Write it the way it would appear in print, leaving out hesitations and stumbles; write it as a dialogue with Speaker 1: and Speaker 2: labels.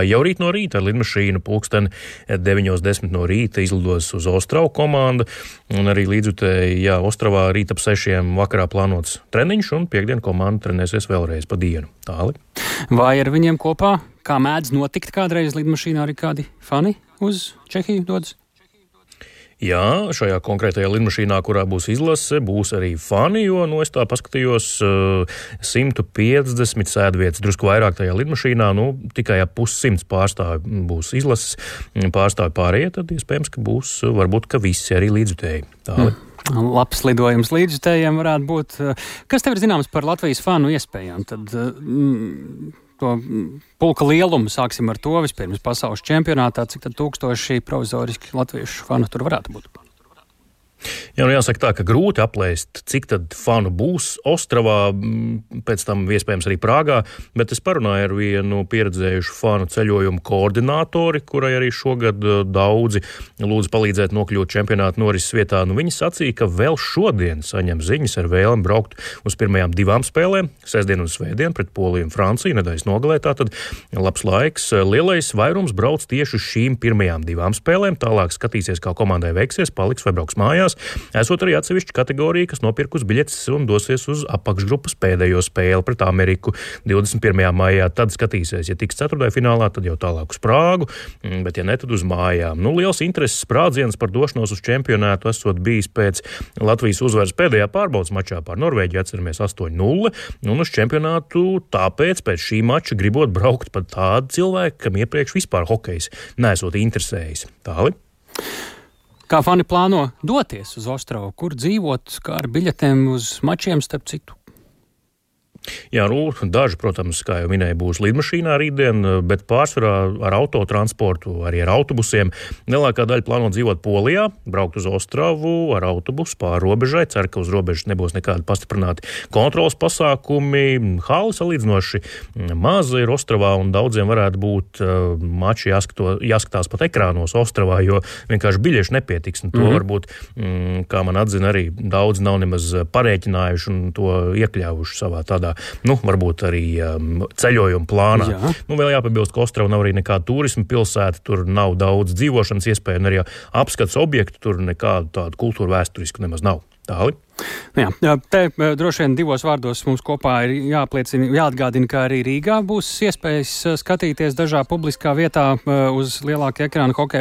Speaker 1: Jau rīt no rīta ar lidmašīnu pulksteni 9:10 no rīta izlidos uz Ostravu komanda, un arī līdzjutēji, Ostravā rīt ap 6 vakarā plānots treniņš, un piektdien komanda trenēsies vēlreiz pa dienu. Tāli.
Speaker 2: Vai ar viņiem kopā, kā mēdz notikt kādreiz lidmašīnā, arī kādi fani uz Čehiju dodas?
Speaker 1: Jā, šajā konkrētajā lidmašīnā, kurā būs izlase, būs arī fani, jo, es tā paskatījos, 150 sēdvietas, drusku vairāk tajā lidmašīnā, tikai ap 100 pārstāvi būs izlases, pārstāvi pārējie, tad iespējams, ka būs, varbūt, ka visi arī līdzjutēji.
Speaker 2: Labs lidojums līdzjutējiem varētu būt. Kas tev ir zināms par Latvijas fanu iespējām? Tad to pulka lielumu sāksim ar to vispirms pasaules čempionātā, cik tad tūkstoši provizoriski latviešu fanu tur varētu būt?
Speaker 1: Jā, jāsaka tā, ka grūti aplēst, cik tad fanu būs Ostravā, pēc tam iespējams arī Prāgā, bet es parunāju ar vienu pieredzējušu fanu ceļojumu koordinātori, kurai arī šogad daudzi lūdzu palīdzēt nokļūt čempionāta norises vietā. Viņi sacīja, ka vēl šodien saņem ziņas ar vēlmi braukt uz pirmajām 2 spēlēm, sestdien un svētdien pret Poliju un Franciju, nedēļas nogalē, tātad labs laiks. Lielais vairums brauc tieši uz šīm pirmajām 2 spēlēm, tālāk skatīsies, kā komandai veiksies, paliks vai brauks mājās. Esot arī atsevišķa kategorija, kas nopirkus biļetes un dosies uz apakšgrupas pēdējo spēli pret Ameriku 21. maijā. Tad skatīsies, ja tiks ceturtdaļfinālā, tad jau tālāk uz Prāgu, bet ja ne, tad uz mājām. Liels intereses sprādziens par došanos uz čempionātu esot bijis pēc Latvijas uzvaras pēdējā pārbaudas mačā pār Norvēģiju, atceramies 8-0, un uz čempionātu tāpēc pēc šī mača gribot braukt pat tādu cilvēku, kam iepriekš vispār hokejs nesot interesējis. Tāli.
Speaker 2: Kā fani plāno doties uz Ostravu? Kur dzīvot, kā ar biļetēm uz mačiem, starp citu?
Speaker 1: Jā, daži, protams, kā jau minēju, būs lidmašīnā rītdien, bet pārsvarā ar autotransportu, arī ar autobusiem. Lielākā daļa plāno dzīvot Polijā, braukt uz Ostravu ar autobusu pāri robežai. Cer, ka uz robežas nebūs nekādi pastiprināti kontrolas pasākumi. Hali salīdzinoši maza ir Ostravā, un daudziem varētu būt mači jāskatās pat ekrānos Ostravā, jo vienkārši biļešu nepietiks. Un to varbūt, kā man atzina, arī daudz nav nemaz parēķinājuši un to iekļāvuši savā tādā varbūt arī ceļojuma plānā.
Speaker 2: Jā.
Speaker 1: Vēl jāpabilst, ka Ostrava nav arī nekāda turisma pilsēta, tur nav daudz dzīvošanas iespēju, un arī apskats objektu tur nekādu tādu kultūru vēsturisku nemaz nav. Tāli.
Speaker 2: Jā, te droši vien 2 vārdos mums kopā ir jāatgādina, ka arī Rīgā būs iespējas skatīties dažā publiskā vietā uz lielāka ekrāna hokeja